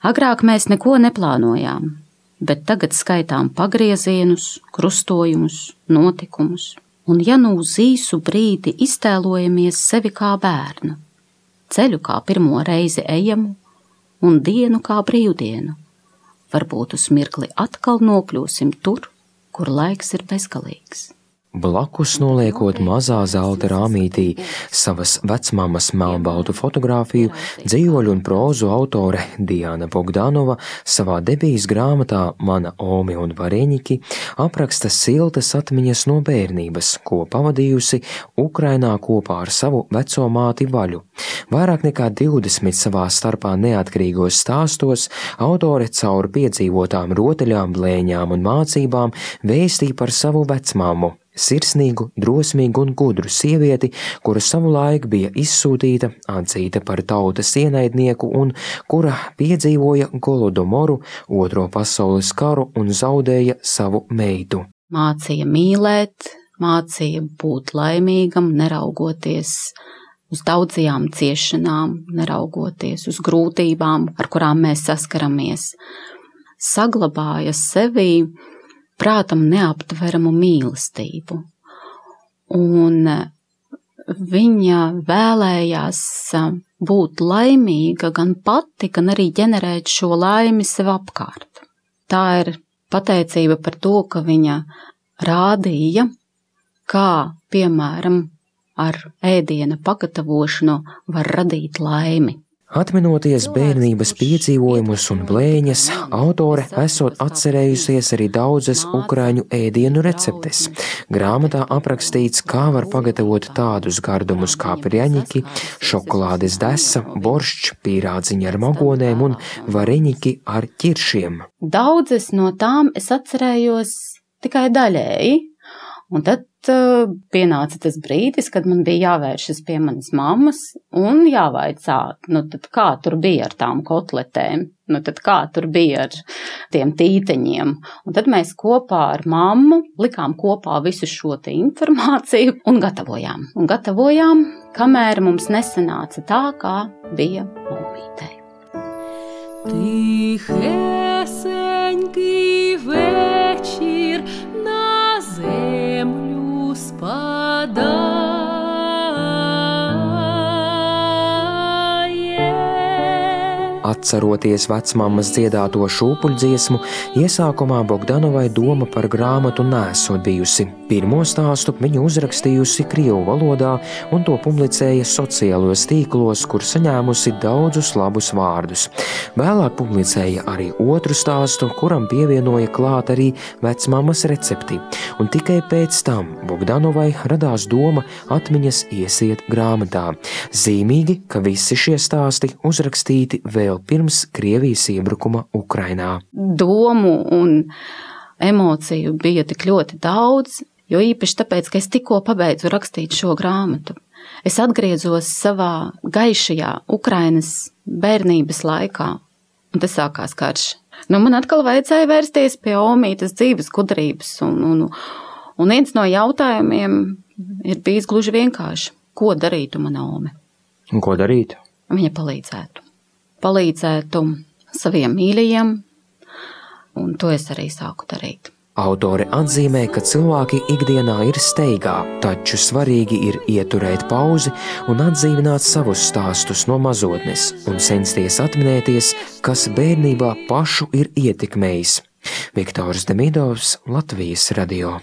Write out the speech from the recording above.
Agrāk mēs neko neplānojām, bet tagad skaitām pagriezienus, krustojumus, notikumus. Un ja nu uz īsu brīdi iztēlojamies sevi kā bērnu, ceļu kā pirmo reizi ejamu un dienu kā brīvdienu, varbūt uz mirkli atkal nokļūsim tur, kur laiks ir bezgalīgs. Blakus noliekot mazā zelta rāmītī savas vecmammas melnbaltu fotogrāfiju, dzīvoļu un prózu autore Diana Bogdanova savā debijas grāmatā Mana Ome un Vareņiki apraksta siltas atmiņas no bērnības, ko pavadījusi Ukrainā kopā ar savu veco māti Vaļu. Vairāk nekā 20 savā starpā neatkarīgos stāstos autore caur piedzīvotām rotaļām, blēņām un mācībām vēstīja par savu vecmāmu. Sirsnīgu, drosmīgu un gudru sievieti, kura savulaik bija izsūtīta, atzīta par tautas ienaidnieku un kura piedzīvoja Golodomoru, Otro pasaules karu un zaudēja savu meitu. Mācīja mīlēt, mācīja būt laimīgam, neraugoties uz daudzajām ciešanām, neraugoties uz grūtībām, ar kurām mēs saskaramies. Saglabāja sevī prātam neaptveramu mīlestību. Un viņa vēlējās būt laimīga gan pati, gan arī ģenerēt šo laimi sev apkārt. Tā ir pateicība par to, ka viņa rādīja, kā, piemēram, ar ēdiena pagatavošanu var radīt laimi. Atminoties bērnības piedzīvojumus un blēņas, autore esot atcerējusies arī daudzas ukraiņu ēdienu receptes. Grāmatā aprakstīts, kā var pagatavot tādus gardumus kā prjaņiki, šokolādes desa, borščs, pīrādziņi ar magonēm un vareņiki ar ķiršiem. Daudzas no tām es atcerējos tikai daļēji, un tad pienāca tas brīdis, kad man bija jāvēršas pie manas mammas un jāvaicā, tad kā tur bija ar tām kotletēm, tad kā tur bija ar tiem tīteņiem. Un tad mēs kopā ar mammu likām kopā visu šo te informāciju un gatavojām, kamēr mums nesanāca tā, kā bija mammītei. Тихесенький вечір на землю спадає. Atceroties vecmammas dziedāto šūpuļdziesmu, iesākumā Bogdanovai doma par grāmatu nesot bijusi. Pirmo stāstu viņa uzrakstījusi krievu valodā un to publicēja sociālos tīklos, kur saņēmusi daudzus labus vārdus. Vēlāk publicēja arī otru stāstu, kuram pievienoja klāt arī vecmammas recepti. Un tikai pēc tam Bogdanovai radās doma atmiņas iesiet grāmatā. Zīmīgi, ka visi šie stāsti uzrakstīti vēl pirms Krievijas iebrukuma Ukrainā. Domu un emociju bija tik ļoti daudz, jo īpaši tāpēc, ka es tikko pabeidzu rakstīt šo grāmatu. Es atgriezos savā gaišajā Ukrainas bērnības laikā, un tas sākās karš. Man atkal vajadzēja vērsties pie omītes dzīves gudrības, un viens no jautājumiem ir bijis gluži vienkārši. Ko darītu mana ome? Un ko darītu? Viņa palīdzētu saviem mīļajiem, un to es arī sāku darīt. Autore atzīmē, ka cilvēki ikdienā ir steigā, taču svarīgi ir ieturēt pauzi un atdzīvināt savus stāstus no mazotnes un censties atminēties, kas bērnībā pašu ir ietekmējis. Viktors Demidovs, Latvijas radio.